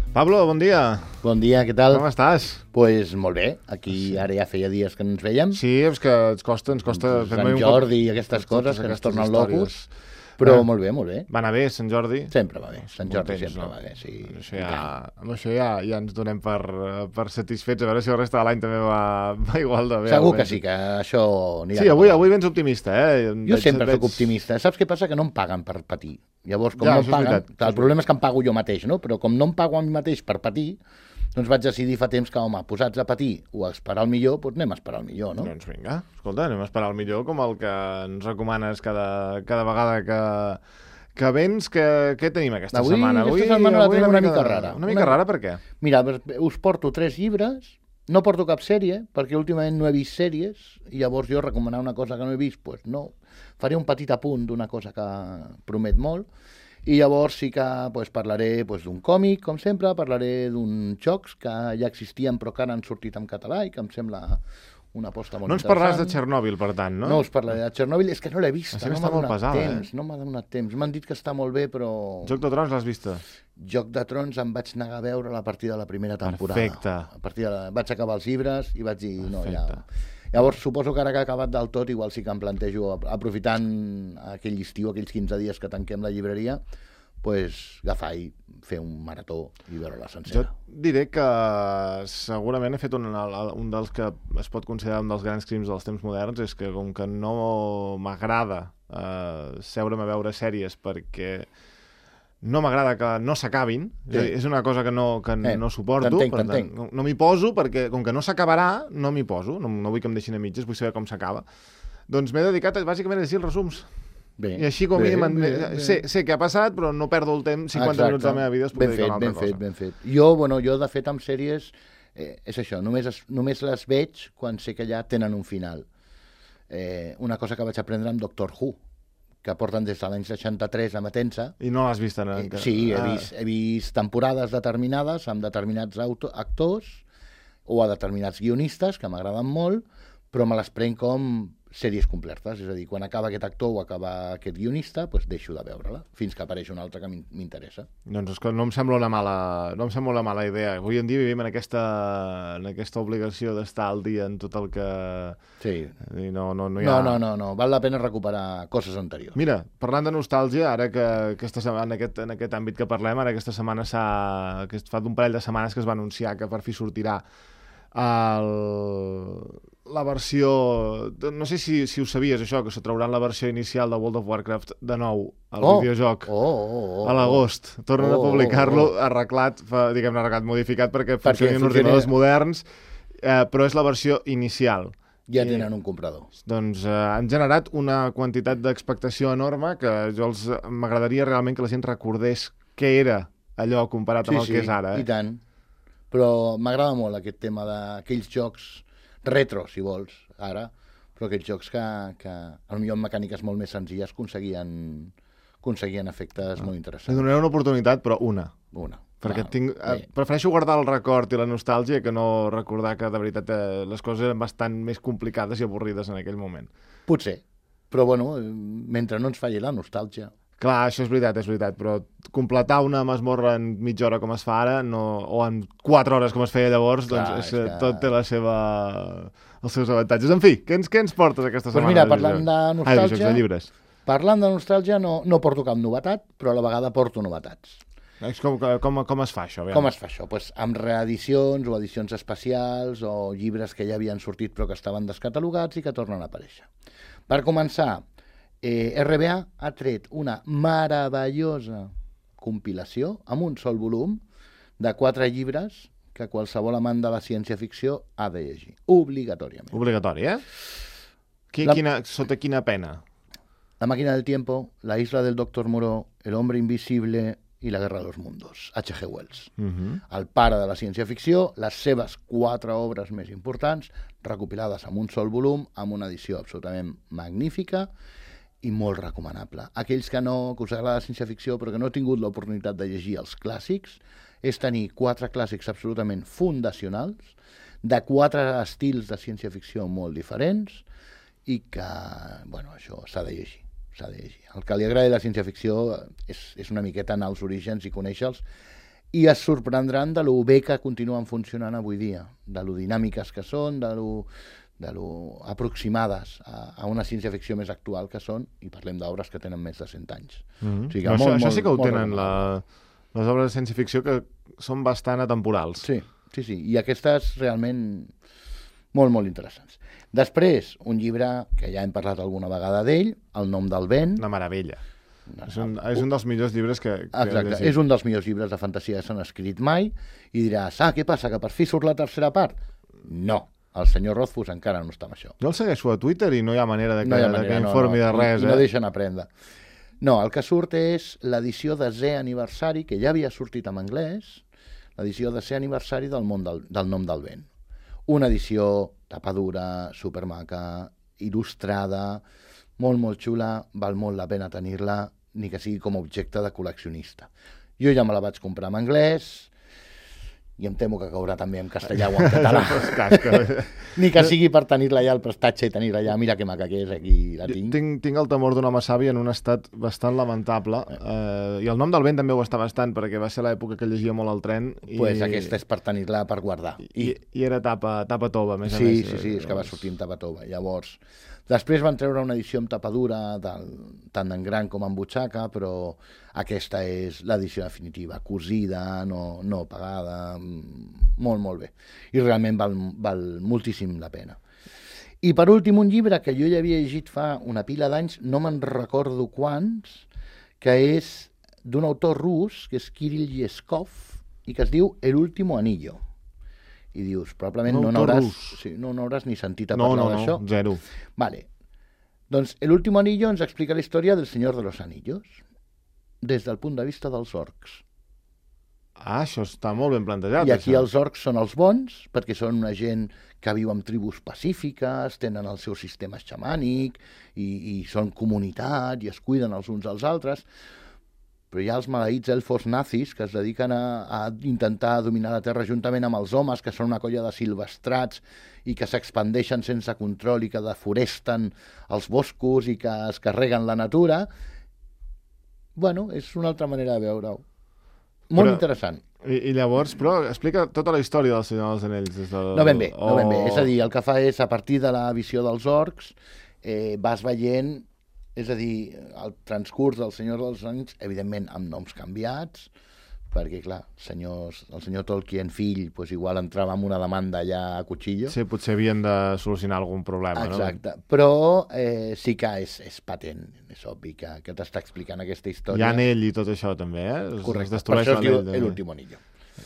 Pablo, bon dia. Bon dia, què tal? Com estàs? Pues molt bé, aquí ara ja feia dies que no ens veiem. Sí, és que ens costa... Sant Jordi i aquestes coses que ens tornen locos. Però molt bé, molt bé. Va anar bé, Sant Jordi? Sempre va bé, Sant Jordi sempre va bé, sí. Amb això ja ens donem per satisfets, a veure si el reste de l'any també va igual de bé. Segur que sí, que això anirà. Sí, avui vens optimista, eh? Jo sempre soc optimista. Saps què passa? Que no em paguen per patir. Llavors, com no em paguen... El problema és que em pago jo mateix, no? Però com no em pago a mi mateix per patir, doncs vaig decidir fa temps que, home, posats a patir o a esperar el millor, doncs anem a esperar el millor, no? Doncs vinga, escolta, anem a esperar el millor, com el que ens recomanes cada vegada que vens. Què tenim aquesta setmana? Aquesta setmana la tenim una mica rara. Una mica rara, per què? Mira, us porto 3 llibres, no porto cap sèrie, perquè últimament no he vist sèries, i llavors jo recomanar una cosa que no he vist, doncs no. Faré un petit apunt d'una cosa que promet molt, i llavors sí que parlaré d'un còmic, com sempre, parlaré d'uns jocs que ja existien però que ara han sortit en català i que em sembla una aposta molt interessant. No ens parlaràs de Txernòbil, per tant, no? No us parlaré de Txernòbil, és que no l'he vista, no m'ha donat temps, no m'ha donat temps. M'han dit que està molt bé, però... Joc de Trons l'has vista? Joc de Trons em vaig negar a veure a partir de la primera temporada. Perfecte. Vaig acabar els llibres i vaig dir, no, ja... Perfecte. Llavors, suposo que ara que ha acabat del tot, igual sí que em plantejo, aprofitant aquell estiu, aquells 15 dies que tanquem la llibreria, agafar i fer un marató i veure-la sencera. Jo diré que segurament he fet un dels que es pot considerar un dels grans crims dels temps moderns, és que com que no m'agrada seure'm a veure sèries perquè no m'agrada que no s'acabin, és una cosa que no suporto, no m'hi poso perquè com que no s'acabarà no m'hi poso, no vull que em deixin a mitges, vull saber com s'acaba, doncs m'he dedicat bàsicament a llegir els resums. Bé, i així com sé què ha passat, però no perdo el temps, 50 minuts de la meva vida es pot dedicar a una altra cosa. Ben fet. Jo, de fet, amb sèries, és això, només les veig quan sé que ja tenen un final. Una cosa que vaig aprendre amb Doctor Who, que porten des de l'any 63 emetent-se. I no l'has vist encara? Sí, he vist temporades determinades amb determinats actors o a determinats guionistes, que m'agraden molt, però me les prenc com sèries completes, és a dir, quan acaba aquest actor o acaba aquest guionista, deixo de veure-la, fins que apareix un altre que m'interessa. Doncs és que no em sembla una mala idea. Avui en dia vivim en aquesta obligació d'estar al dia en tot el que... Sí. I no hi ha... No, val la pena recuperar coses anteriors. Mira, parlant de nostàlgia, ara que en aquest àmbit que parlem, ara aquesta setmana fa d'un parell de setmanes que es va anunciar que per fi sortirà la versió... No sé si ho sabies, això, que se trauran la versió inicial de World of Warcraft de nou al videojoc a l'agost. Tornen a publicar-lo arreglat, modificat perquè funcioni en ordinadors moderns, però és la versió inicial. Ja tenen un comprador. Doncs han generat una quantitat d'expectació enorme que m'agradaria realment que la gent recordés què era allò comparat amb el que és ara. I tant. Però m'agrada molt aquest tema d'aquells jocs retro, si vols, ara, però aquells jocs que potser amb mecàniques molt més senzilles aconseguien efectes molt interessants. Li donaré una oportunitat, però una. Perquè prefereixo guardar el record i la nostàlgia que no recordar que de veritat les coses eren bastant més complicades i avorrides en aquell moment. Potser, però mentre no ens falli la nostàlgia... Clar, això és veritat, però completar una masmorra en mitja hora com es fa ara, o en 4 hores com es feia llavors, tot té els seus avantatges. En fi, què ens portes aquesta setmana? Mira, parlant de nostàlgia... de llibres. Parlant de nostàlgia no porto cap novetat, però a la vegada porto novetats. Com es fa això? Com es fa això? Amb reedicions o edicions especials o llibres que ja havien sortit però que estaven descatalogats i que tornen a aparèixer. Per començar, RBA ha tret una meravellosa compilació amb un sol volum de 4 llibres que qualsevol amant de la ciència-ficció ha de llegir, obligatòriament. Obligatori, Sota quina pena? La máquina del tiempo, La isla del Doctor Moreau, El hombre invisible i La guerra de los mundos, H.G. Wells. El pare de la ciència-ficció, les seves 4 obres més importants, recopilades en un sol volum, amb una edició absolutament magnífica i molt recomanable. Aquells que us agrada la ciència-ficció però que no heu tingut l'oportunitat de llegir els clàssics, és tenir 4 clàssics absolutament fundacionals, de 4 estils de ciència-ficció molt diferents i que, això s'ha de llegir. El que li agrada la ciència-ficció és una miqueta anar als orígens i conèixer-los i es sorprendran de lo bé que continuen funcionant avui dia, de lo dinàmiques que són, de lo aproximades a una ciència-ficció més actual que són, i parlem d'obres que tenen més de 100 anys. O sigui que això sí que ho tenen, les obres de ciència-ficció, que són bastant atemporals. Sí, i aquestes realment molt, molt interessants. Després, un llibre que ja hem parlat alguna vegada d'ell, El nom del vent. Una meravella. És un dels millors llibres que exacte, és un dels millors llibres de fantasia que s'han escrit mai, i diràs, què passa, que per fi surt la tercera part? No, el senyor Rothfuss encara no està amb això. Jo el segueixo a Twitter i no hi ha manera que informi de res. No deixen aprendre. No, el que surt és l'edició de 10è aniversari, que ja havia sortit en anglès, l'edició de 10è aniversari del nom del vent. Una edició tapadura, supermaca, il·lustrada, molt, molt xula, val molt la pena tenir-la, ni que sigui com a objecte de col·leccionista. Jo ja me la vaig comprar en anglès, i em temo que caurà també en castellà o en català. Ni que sigui per tenir-la ja al prestatge i tenir-la ja, mira que maca que és, aquí la tinc. Tinc el temor d'un home savi en un estat bastant lamentable, i el nom del vent també ho està bastant, perquè va ser l'època que llegia molt el tren. Doncs aquesta és per tenir-la per guardar. I era tapa tova, a més a més. Sí, és que va sortir en tapa tova. Llavors, després van treure una edició amb tapadura, tant en gran com en butxaca, però aquesta és l'edició definitiva, cosida, no pagada, molt, molt bé. I realment val moltíssim la pena. I per últim, un llibre que jo ja havia llegit fa una pila d'anys, no me'n recordo quants, que és d'un autor rus, que és Kirill Yeskov, i que es diu El último anillo. I dius, probablement no n'hauràs ni sentit a parlar d'això. No, zero. Vale. Doncs El último anillo ens explica la història del Senyor de los Anillos, des del punt de vista dels orcs. Això està molt ben plantejat. I aquí els orcs són els bons, perquè són una gent que viu en tribus pacífiques, tenen el seu sistema xamànic, i són comunitat, i es cuiden els uns als altres. Però hi ha els maleïts elfos nazis que es dediquen a intentar dominar la Terra juntament amb els homes, que són una colla de silvestrats i que s'expandeixen sense control i que deforesten els boscos i que es carreguen la natura. Bueno, és una altra manera de veure-ho. Molt interessant. I llavors, però explica tota la història del Senyor dels Anells. No ben bé. És a dir, el que fa és, a partir de la visió dels orcs, vas veient, és a dir, el transcurs del Senyor dels Anells, evidentment amb noms canviats, perquè, clar, el senyor Tolkien fill, doncs igual entrava en una demanda ja a cuchillo. Sí, potser havien de solucionar algun problema. Exacte, no? Però sí que és patent, és obvi que t'està explicant aquesta història. Hi ha anell i tot això, també, Correcte, per això es diu l'últim anillo.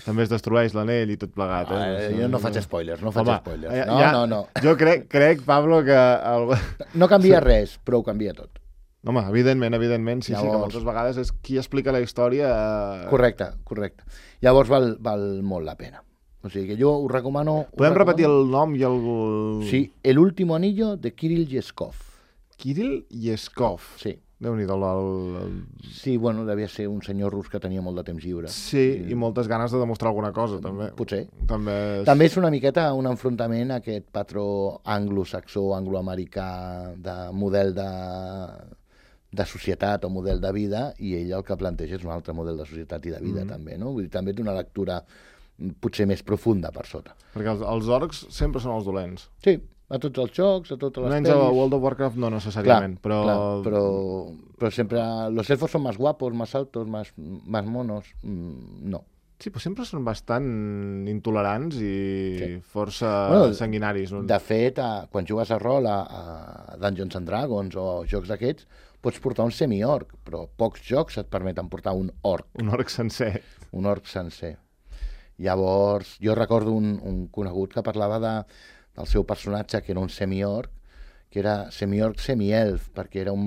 També es destrueix l'anell i tot plegat. Jo no faig spoilers, spoilers. No. Jo crec, Pablo, que... No canvia res, però ho canvia tot. Home, evidentment, sí, que moltes vegades és qui explica la història... Correcte. Llavors val molt la pena. O sigui que jo ho recomano... Podem repetir el nom i el... Sí, El último anillo de Kirill Yeskov. Kirill Yeskov? Sí. Déu-n'hi-do. Sí, bueno, devia ser un senyor rus que tenia molt de temps lliure. Sí, i moltes ganes de demostrar alguna cosa, també. Potser. També és una miqueta un enfrontament a aquest patró anglosaxó, angloamericà, de model de societat o model de vida, i ell el que planteja és un altre model de societat i de vida, també, no? Vull dir, també té una lectura potser més profunda per sota. Perquè els orcs sempre són els dolents. Sí, a tots els jocs, a totes les pel·lis. A World of Warcraft no necessàriament, però sempre los elfos són més guapos, més altos, més monos, no. Sí, però sempre són bastant intolerants i força sanguinaris. De fet, quan jugues a rol a Dungeons and Dragons o jocs d'aquests, pots portar un semi-orc, però pocs jocs et permeten portar un orc. Un orc sencer. Un orc sencer. Llavors, jo recordo un conegut que parlava del seu personatge, que era un semi-orc, que era semi-orc semi-elf, perquè era un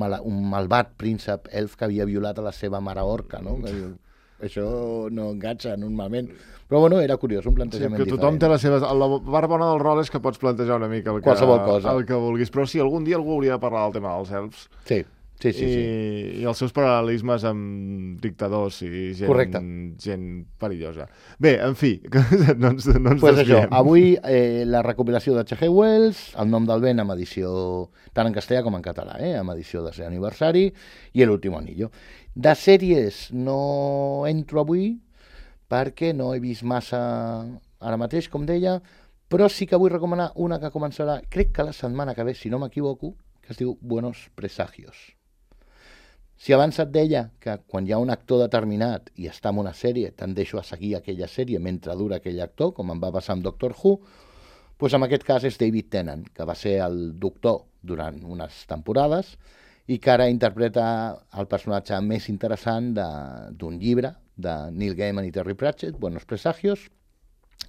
malvat príncep elf que havia violat a la seva mare orca, no? Això no enganxa normalment. Però bueno, era curiós, un plantejament diferent. Tothom té les seves... La part bona del rol és que pots plantejar una mica qualsevol cosa. El que vulguis. Però sí, algun dia algú hauria de parlar del tema dels elfs. Sí. I els seus paral·lelismes amb dictadors i gent perillosa. Bé, en fi, no ens pues desviem. Avui la recopilació de H.G. Wells, El nom del vent, amb edició tant en castellà com en català, amb edició de 10è aniversari, i El último anillo. De sèries no entro avui, perquè no he vist massa ara mateix, com deia, però sí que vull recomanar una que començarà, crec que la setmana que ve, si no m'equivoco, que es diu Buenos Presagios. Si abans et deia que quan hi ha un actor determinat i està en una sèrie, tendeixo a seguir aquella sèrie mentre dura aquell actor, com em va passar amb Doctor Who, doncs en aquest cas és David Tennant, que va ser el doctor durant unes temporades i que ara interpreta el personatge més interessant d'un llibre de Neil Gaiman i Terry Pratchett, Buenos Presagios,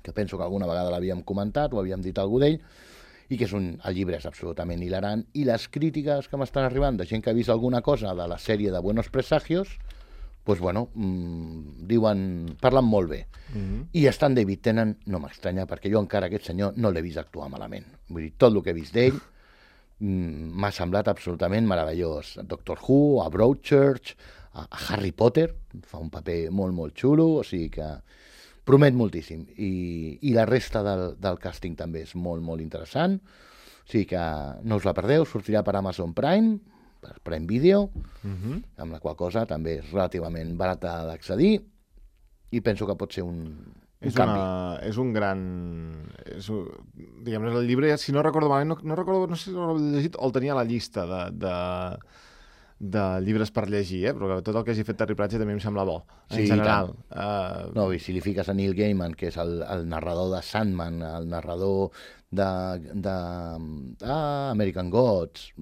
que penso que alguna vegada l'havíem comentat o havíem dit algú d'ell, i que el llibre és absolutament hilarant, i les crítiques que m'estan arribant de gent que ha vist alguna cosa de la sèrie de Buenos Presagios, doncs, bueno, parlen molt bé. I estant David Tennant no m'estranya, perquè jo encara aquest senyor no l'he vist actuar malament. Vull dir, tot el que he vist d'ell m'ha semblat absolutament meravellós. A Doctor Who, a Broadchurch, a Harry Potter, fa un paper molt, molt xulo, o sigui que promet moltíssim. I la resta del càsting també és molt, molt interessant. O sigui que no us la perdeu, sortirà per Amazon Prime, per Prime Video, amb la qual cosa també és relativament barata d'accedir i penso que pot ser un canvi. És un gran... Diguem-ne, el llibre, si no recordo malament, no sé si l'he llegit o el tenia a la llista de llibres per llegir, però tot el que hagi fet Terry Pratchett també em sembla bo, en general. No, i si li fiques a Neil Gaiman, que és el narrador de Sandman, el narrador de American Gods,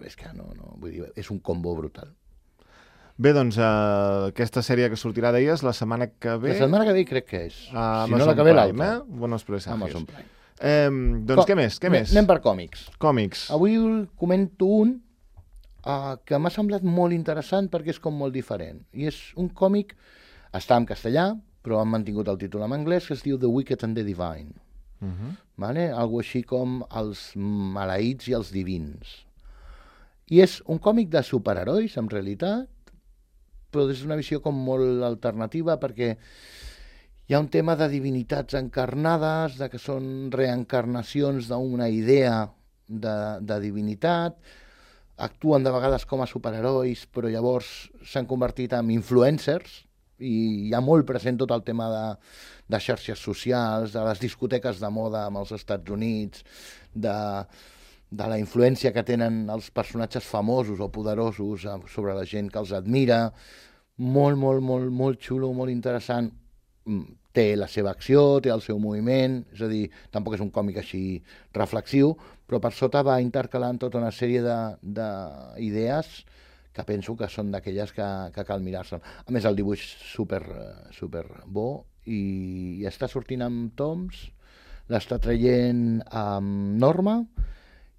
és que no, vull dir, és un combo brutal. Bé, doncs, aquesta sèrie que sortirà, deies, la setmana que ve... La setmana que ve crec que és. Si no la que ve, l'altra. Buenos Presagios. Amazon Prime. Doncs què més? Anem per còmics. Còmics. Avui comento un que m'ha semblat molt interessant perquè és com molt diferent. I és un còmic, està en castellà, però han mantingut el títol en anglès, que es diu The Wicked and the Divine. Vale? Algo així com els maleïts i els divins. I és un còmic de superherois, en realitat, però és una visió com molt alternativa perquè hi ha un tema de divinitats encarnades, de que són reencarnacions d'una idea de divinitat, actuen de vegades com a superherois, però llavors s'han convertit en influencers i hi ha molt present tot el tema de xarxes socials, de les discoteques de moda amb els Estats Units, de la influència que tenen els personatges famosos o poderosos sobre la gent que els admira. Molt, molt, molt, molt xulo, molt interessant. Té la seva acció, té el seu moviment, és a dir, tampoc és un còmic així reflexiu, però per sota va intercalant tota una sèrie d'idees que penso que són d'aquelles que cal mirar-se. A més, el dibuix super bo i està sortint amb toms, l'està traient amb Norma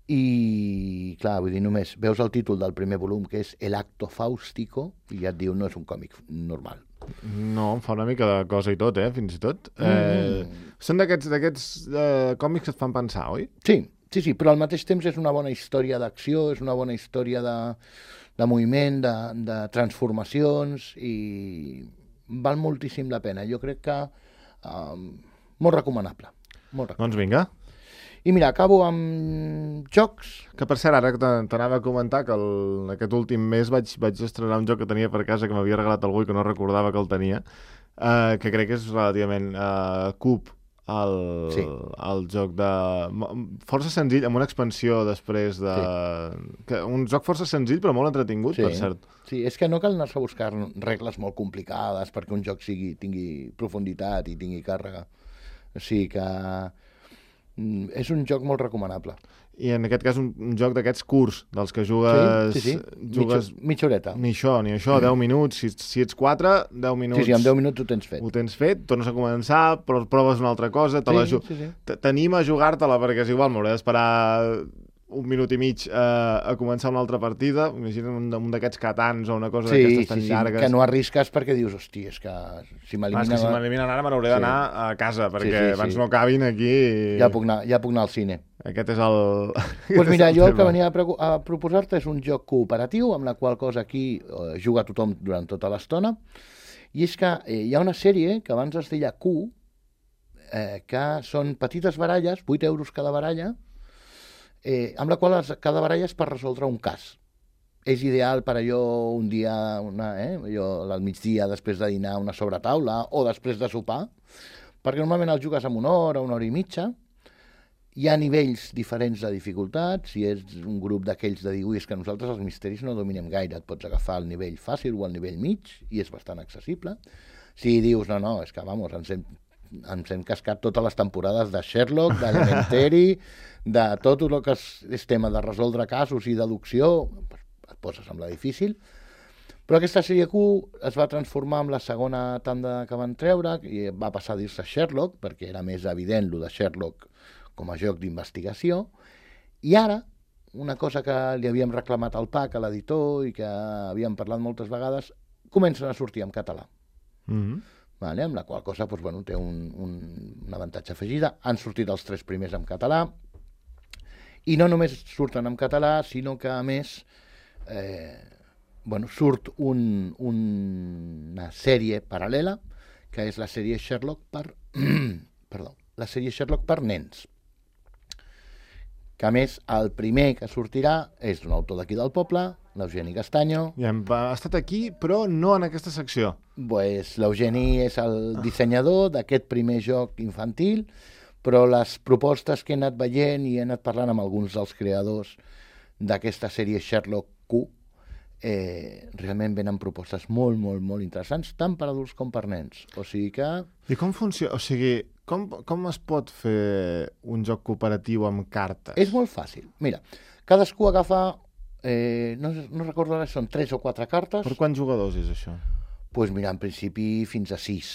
i, clar, vull dir, només veus el títol del primer volum, que és El acto fàustico, i ja et diu, no és un còmic normal. No, em fa una mica de cosa i tot, fins i tot. Són d'aquests còmics que et fan pensar, oi? Sí, però al mateix temps és una bona història d'acció, és una bona història de moviment, de transformacions, i val moltíssim la pena. Jo crec que molt recomanable. Doncs vinga. I mira, acabo amb jocs. Que per cert, ara t'anava a comentar que aquest últim mes vaig estrenar un joc que tenia per casa que m'havia regalat algú i que no recordava que el tenia, que crec que és relativament Cub, el joc de... força senzill, amb una expansió després de... Sí. Un joc força senzill però molt entretingut, per cert. Sí, és que no cal anar-se a buscar regles molt complicades perquè un joc tingui profunditat i tingui càrrega. O sigui que... és un joc molt recomanable. I en aquest cas un joc d'aquests curts, dels que jugues... Sí. Jugues mitja horeta. Ni això, 10 minuts. Si ets 4, 10 minuts... Sí, en 10 minuts ho tens fet. Ho tens fet, tornes a començar, però proves una altra cosa, t'anima a jugar-te-la, perquè és igual, m'hauré d'esperar un minut i mig a començar una altra partida. Imagina't un d'aquests Catans o una cosa d'aquestes tan llargues. Que no arrisques perquè dius, hosti, és que si m'eliminen... Si m'eliminen ara me n'hauré d'anar a casa, perquè abans no acabin aquí... Ja puc anar al cine. Aquest és el... Doncs mira, jo el que venia a proposar-te és un joc cooperatiu, amb la qual cosa aquí juga tothom durant tota l'estona, i és que hi ha una sèrie que abans es deia Q, que són petites baralles, 8 € cada baralla, amb la qual cada baralla és per resoldre un cas. és ideal per allò un dia, allò al migdia, després de dinar, una sobretaula, o després de sopar, perquè normalment el jugues en una hora i mitja. Hi ha nivells diferents de dificultat. Si és un grup d'aquells de dir, ui, és que nosaltres els misteris no dominem gaire, et pots agafar el nivell fàcil o el nivell mig, i és bastant accessible. Si dius, no, és que, vamos, ens hem cascat totes les temporades de Sherlock, d'Elementary, de tot el que és tema de resoldre casos i deducció, et poses amb la difícil. Però aquesta sèrie Q es va transformar en la segona tanda que van treure, i va passar a dir-se Sherlock, perquè era més evident lo de Sherlock com a joc d'investigació, i ara, una cosa que li havíem reclamat al PAC, a l'editor, i que havíem parlat moltes vegades, comencen a sortir en català. Vale? Amb la qual cosa té un avantatge afegida. Han sortit els 3 primers en català, i no només surten en català, sinó que, a més, surt una sèrie paral·lela, que és la sèrie Sherlock la sèrie Sherlock per nens. Que, a més, el primer que sortirà és d'un autor d'aquí del poble, l'Eugeni Castanyo. Ja ha estat aquí, però no en aquesta secció. L'Eugeni és el dissenyador d'aquest primer joc infantil, però les propostes que he anat veient i he anat parlant amb alguns dels creadors d'aquesta sèrie Sherlock Q, realment venen propostes molt, molt, molt interessants, tant per adults com per nens. O sigui que... I com funciona? O sigui, com es pot fer un joc cooperatiu amb cartes? És molt fàcil. Mira, cadascú agafa, no recordo ara, són 3 o 4 cartes. Per quants jugadors és això? Doncs mira, en principi fins a 6,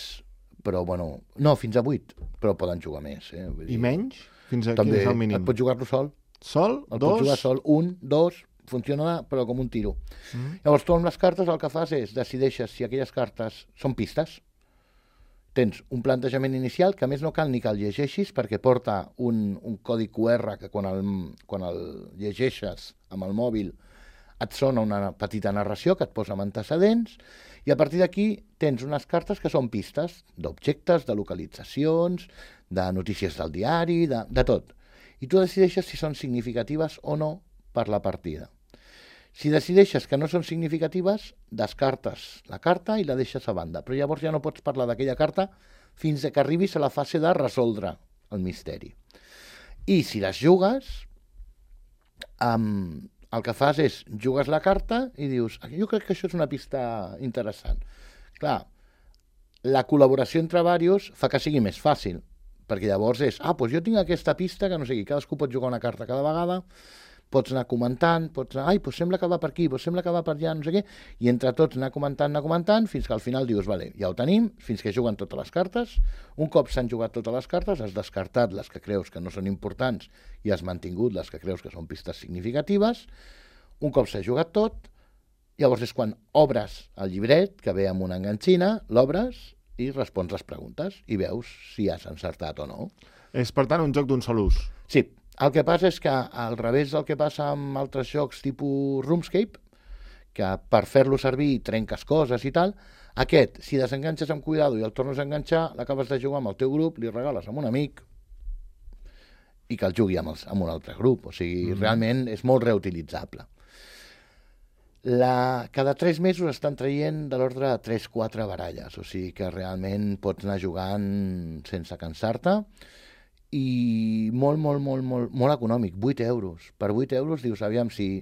però no, fins a 8, però poden jugar més. I menys? Fins a quin és el mínim? Et pots jugar-lo sol. Sol? El pots jugar sol, 1, 2, funciona però com un tiro. Llavors tu amb les cartes el que fas és decideixes si aquelles cartes són pistes. Tens un plantejament inicial que a més no cal ni que el llegeixis, perquè porta un codi QR que quan el llegeixes amb el mòbil et sona una petita narració que et posa amb antecedents, i a partir d'aquí tens unes cartes que són pistes d'objectes, de localitzacions, de notícies del diari, de tot. I tu decideixes si són significatives o no per la partida. Si decideixes que no són significatives, descartes la carta i la deixes a banda. Però llavors ja no pots parlar d'aquella carta fins que arribis a la fase de resoldre el misteri. I si les jugues, el que fas és jugues la carta i dius, jo crec que això és una pista interessant. Clar, la col·laboració entre diversos fa que sigui més fàcil, perquè llavors és, doncs jo tinc aquesta pista que no sé qui, cadascú pot jugar una carta cada vegada, pots anar comentant, doncs sembla que va per aquí, doncs sembla que va per allà, no sé què, i entre tots anar comentant, fins que al final dius, vale, ja ho tenim, fins que juguen totes les cartes. Un cop s'han jugat totes les cartes, has descartat les que creus que no són importants i has mantingut les que creus que són pistes significatives. Un cop s'ha jugat tot, llavors és quan obres el llibret, que ve amb una enganxina, l'obres i respons les preguntes i veus si has encertat o no. És, per tant, un joc d'un sol ús. Sí. El que passa és que, al revés del que passa amb altres jocs tipus RuneScape, que per fer-lo servir trenques coses i tal, aquest, si desenganxes amb cuidado i el tornes a enganxar, l'acabes de jugar amb el teu grup, li regales a un amic i que el jugui amb un altre grup. O sigui, realment és molt reutilitzable. Cada 3 mesos estan traient de l'ordre de 3-4 baralles, o sigui que realment pots anar jugant sense cansar-te, i molt econòmic, 8 euros. Per 8 euros dius, aviam, si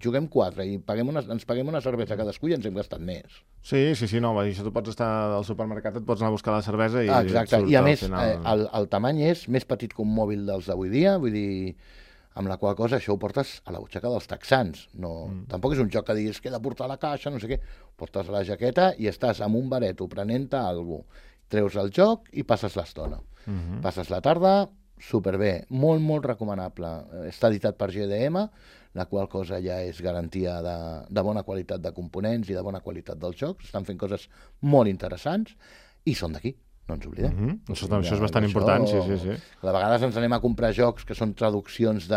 juguem 4 i ens paguem una cervesa cadascú i ens hem gastat més. Sí, no, això tu pots estar al supermercat, et pots anar a buscar la cervesa i... Exacte, i a més, el tamany és més petit que un mòbil dels d'avui dia, vull dir, amb la qual cosa això ho portes a la butxaca dels texans. Tampoc és un joc que diguis que he de portar a la caixa, no sé què. Portes a la jaqueta i estàs amb un bareto prenent-te alguna cosa. Treus el joc i passes l'estona. Passes la tarda, superbé, molt recomanable. Està editat per GDM, la qual cosa ja és garantia de bona qualitat de components i de bona qualitat dels jocs. Estan fent coses molt interessants i són d'aquí, no ens oblidem. Això és bastant important, sí. A vegades ens anem a comprar jocs que són traduccions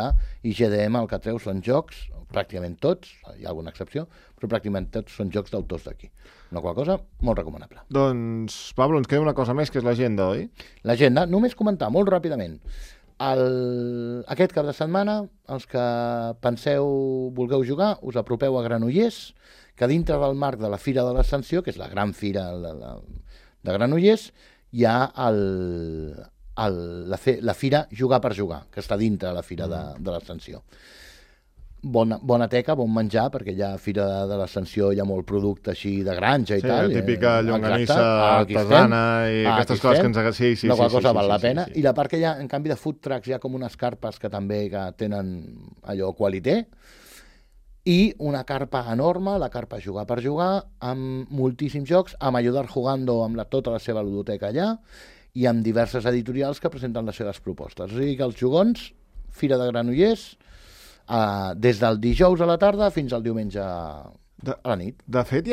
i GDM el que treu són jocs, pràcticament tots, hi ha alguna excepció, però pràcticament tots són jocs d'autors d'aquí. Una qual cosa molt recomanable. Doncs, Pablo, ens queda una cosa més, que és l'agenda, oi? L'agenda, només comentar molt ràpidament. Aquest cap de setmana, els que vulgueu jugar, us apropeu a Granollers, que dintre del marc de la Fira de l'Ascensió, que és la gran fira de Granollers, hi ha la fira Jugar per Jugar, que està dintre de la Fira de l'Ascensió. Bona teca, bon menjar, perquè hi ha Fira de l'Ascensió, hi ha molt producte així de granja i tal. Sí, la típica llonganissa artesana i aquestes coses que ens agafen. La qual cosa val la pena. I la part que hi ha, en canvi, de food trucks, hi ha com unes carpes que també tenen allò qualité, i una carpa enorme, la carpa Jugar per Jugar, amb moltíssims jocs, amb Ayudar Jugando, amb tota la seva ludoteca allà, i amb diverses editorials que presenten les seves propostes. O sigui que els jugons, Fira de Granollers, des del dijous a la tarda fins al diumenge a la nit. De fet, hi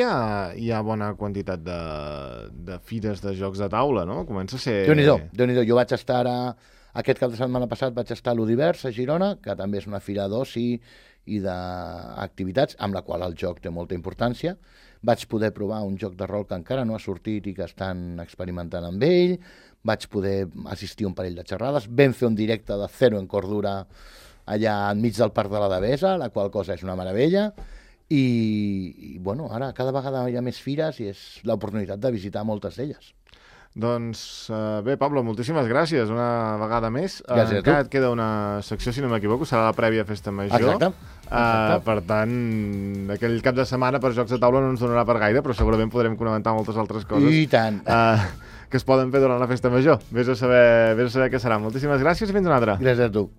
ha bona quantitat de fires de jocs de taula, no? Comença a ser... Déu-n'hi-do. Jo vaig estar aquest cap de setmana passat vaig estar a l'Udivers, a Girona, que també és una fira d'oci i d'activitats, amb la qual el joc té molta importància. Vaig poder provar un joc de rol que encara no ha sortit i que estan experimentant amb ell. Vaig poder assistir a un parell de xerrades. Vam fer un directe de Zero en Cordura allà enmig del Parc de la Devesa, la qual cosa és una meravella. I bueno, ara cada vegada hi ha més fires i és l'oportunitat de visitar moltes d'elles. Doncs bé, Pablo, moltíssimes gràcies una vegada més. Gràcies a tu. Encara et queda una secció, si no m'equivoco, serà la prèvia Festa Major. Exacte. Per tant, aquell cap de setmana per jocs de taula no ens donarà per gaire, però segurament podrem comentar moltes altres coses. I tant. Que es poden fer durant la Festa Major. Vés a saber què serà. Moltíssimes gràcies i fins una altra. Gràcies a tu.